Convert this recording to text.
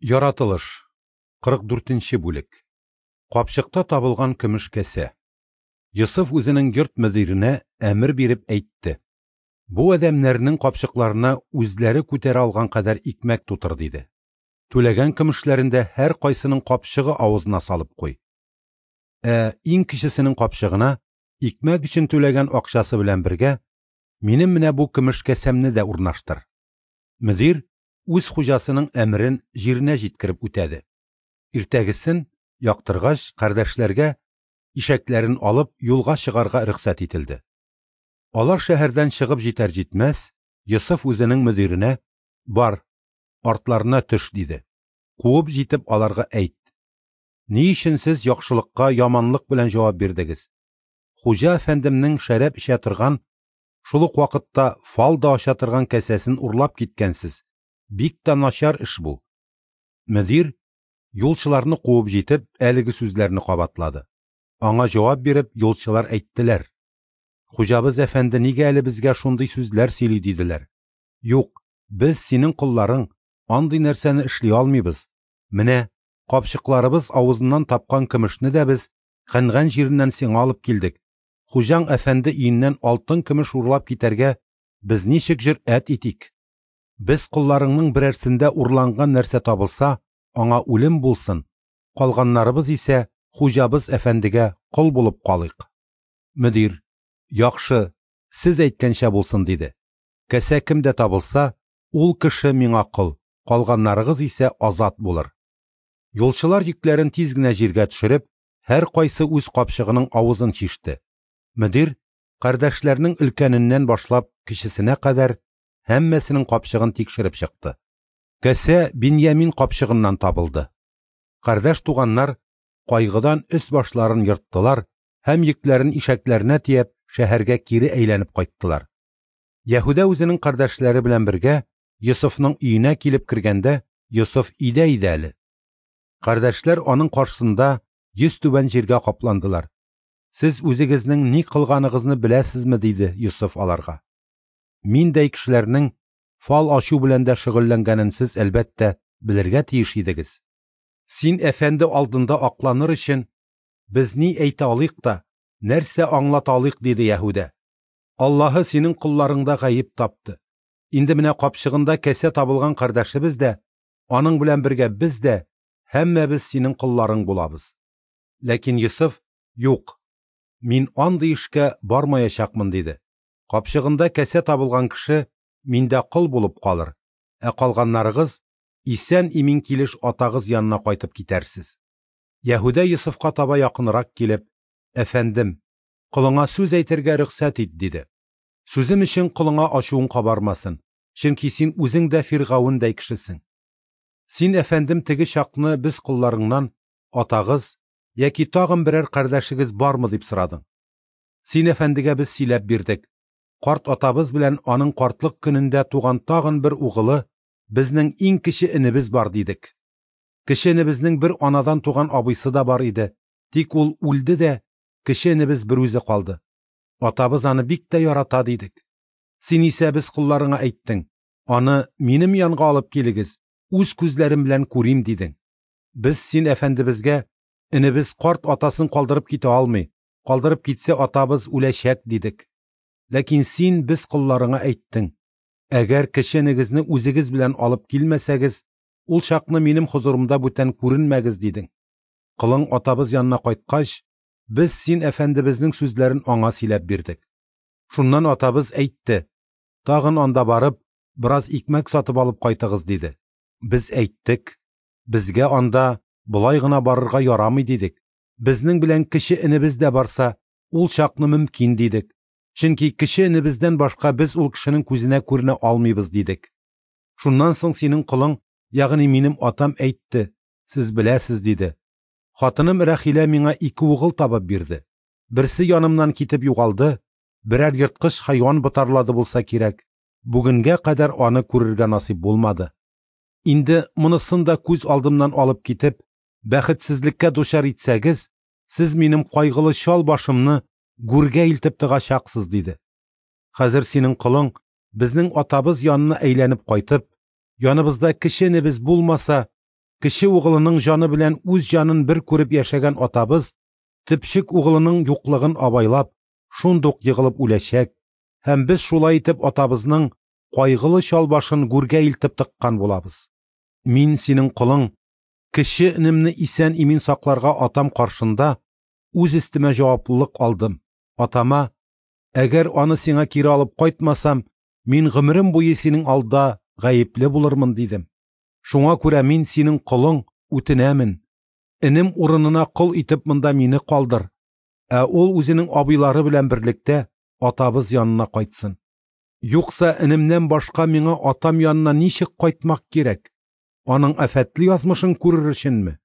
Яратылыш, 44 нче бүлек. Капчыкта табылган көмеш кәсә. Йосыф үзенең йорт мөдиренә әмер биреп әйтте: Бу адәмнәрнең капчыкларына үзләре күтәрә алган кадәр икмәк тутыр, диде. Түләгән көмешләрен дә һәркайсының капчыгы авызына салып куй. Ә иң кечесенең капчыгына икмәк өчен түләгән акчасы белән бергә минем менә бу көмеш кәсәмне дә урнаштыр. Мөдир үз хуҗасының әмерен җиренә җиткереп үтәде. Иртәгесен, яктыргач, кардәшләргә ишәкләрен алып юлга чыгарга рөхсәт ителде. Алар шәһәрдән чыгып җитәр-җитмәс, Йосыф үзенең мөдиренә: "Бар, артларына төш", диде. Куып җитеп аларга әйт: "Ни өчен сез яхшылыкка яманлык белән җавап бирдегез? Хуҗа әфәндемнең шәраб эчә торган, шул ук вакытта фал да ача торган кәсәсен урлап киткәнсез. Бик тә начар эш бу". Мөдир, юлчыларны куып җитеп, әлеге сүзләрне кабатлады. Аңа җавап биреп, юлчылар әйттеләр: "Хуҗабыз әфәнде нигә әле безгә шундый сүзләр сөйли?" диделәр. "Юк, без синең колларың, андый нәрсәне эшли алмыйбыз. Менә капчыкларыбыз авызыннан тапкан көмешне дә без Кәнган җиреннән сиңа алып килдек. Хуҗаң әфәнде өеннән алтын-көмеш урлап китәргә без ничек җөрьәт итик? Без колларыңның берәрсендә урланган нәрсә табылса, аңа үлем булсын, калганнарыбыз исә хуҗабыз әфәндегә кол булып калыйк". Мөдир: "Яхшы, сез әйткәнчә булсын", диде. Кәсә кемдә табылса, ул кеше миңа кол, калганнарыгыз исә азат булыр. Юлчылар йөкләрен тиз генә җиргә төшереп, һәркайсы үз капчыгының авызын чиште. Мөдир, кардәшләрнең өлкәненнән башлап кечесенә кадәр, һәммәсенең капчыгын тикшереп чыкты. Кәсә Биньямин капчыгыннан табылды. Кардәш туганнар кайгыдан өс-башларын ерттылар һәм йөкләрен ишәкләренә төяп шәһәргә кире әйләнеп кайттылар. Яһүдә үзенең кардәшләре белән бергә Йосыфның өенә килеп кергәндә, Йосыф өйдә иде әле. Кардәшләр аның каршысында йөзтүбән җиргә капландылар. "Сез үзегезнең ни кылганыгызны беләсезме?" диде Йосыф аларга. "Миндәй кешеләрнең фал ачу белән дә шөгыльләнгәнен сез, әлбәттә, белергә тиеш идегез. Син әфәнде алдында акланыр өчен без ни әйтә алыйк та, нәрсә аңлата алыйк?" диде Яһүдә. "Аллаһы синең колларыңда гаеп тапты. Инде менә капчыгында кәсә табылган кардәшебез дә, аның белән бергә без дә, һәммәбез синең колларың булабыз". Ләкин Йосыф: "Юк, мин андый эшкә бармаячакмын", диде. "Капчыгында кәсә табылган кеше миндә кол булып калыр, ә калганнарыгыз исән-имин килеш атагыз янына кайтып китәрсез". Яһүдә Йосыфка таба якынрак килеп: "Әфәндем, колыңа сүз әйтергә рөхсәт ит", диде. "Сүзем өчен колыңа ачуың кабармасын, чөнки син үзең дә фиргавендәй кешесең. Син, әфәндем, теге чакны без колларыңнан атагыз яки тагын берәр кардәшегез бармы дип сорадың. Син әфәндегә без сөйләп бирдек. Карт атабыз белән аның картлык көнендә туган тагын бер угылы, безнең иң кече энебез бар, дидек. Кече энебезнең бер анадан туган абыйсы да бар иде, тик ул үлде дә, кече энебез берүзе калды. Атабыз аны бик тә ярата, дидек. Син исә без колларыңа әйттең: аны минем янга алып килегез, үз күзләрем белән күрим, дидең. Без син әфәндебезгә: энебез карт атасын калдырып китә алмый, калдырып китсә атабыз үләчәк, дидек. Ләкин син без колларыңа әйттең: әгәр кече энегезне үзегез белән алып килмәсәгез, ул чакны минем хозурымда бүтән күренмәгез, дидең. Колың атабыз янына кайткач, без син әфәндебезнең сүзләрен аңа сөйләп бирдек. Шуннан атабыз әйтте: тагын анда барып, бераз икмәк сатып алып кайтыгыз, диде. Без әйттек: безгә анда болай гына барырга ярамый, дидек. Безнең белән кече энебез дә барса, ул чакны мөмкин, дидек. Чөнки кече энебездән башка без ул кешенең күзенә күренә алмыйбыз, дидек. Шуннан соң синең колың, ягъни минем атам әйтте: сез беләсез, диде. Хатыным Рәхилә миңа ике угыл табып бирде. Берсе янымнан китеп югалды, берәр ерткыч хайван ботарлады булса кирәк. Бүгенгә кадәр аны күрергә насыйп булмады. Инде монысын да күз алдымнан алып китеп, бәхетсезлеккә дучар итсәгез, сез минем кайгылы чал башымны гүргә илтеп тыгачаксыз, диде. Хәзер синең колың безнең атабыз янына әйләнеп кайтып, яныбызда кече энебез булмаса, Кече угылының җаны белән үз җанын бер күреп яшәгән атабыз, төпчек угылының юклыгын абайлап, шундук егылып үләчәк һәм без шулай итеп атабызның кайгылы чал башын гүргә илтеп тыккан булабыз. Мин, синең колың, кече энемне исән-имин сакларга атам каршында үз өстемә җаваплылык алдым. Атама: «Әгәр аны сиңа кире алып кайтмасам, мин гомерем буе синең алда гаепле булырмын», – дидем. Шуңа күрә мин, синең колың, үтенәмен: энем урынына кол итеп монда мине калдыр, ә ул үзенең абыйлары белән берлектә атабыз янына кайтсын. Юкса энемнән башка миңа атам янына ничек кайтмак кирәк? Аның афәтле язмышын күрер өченме?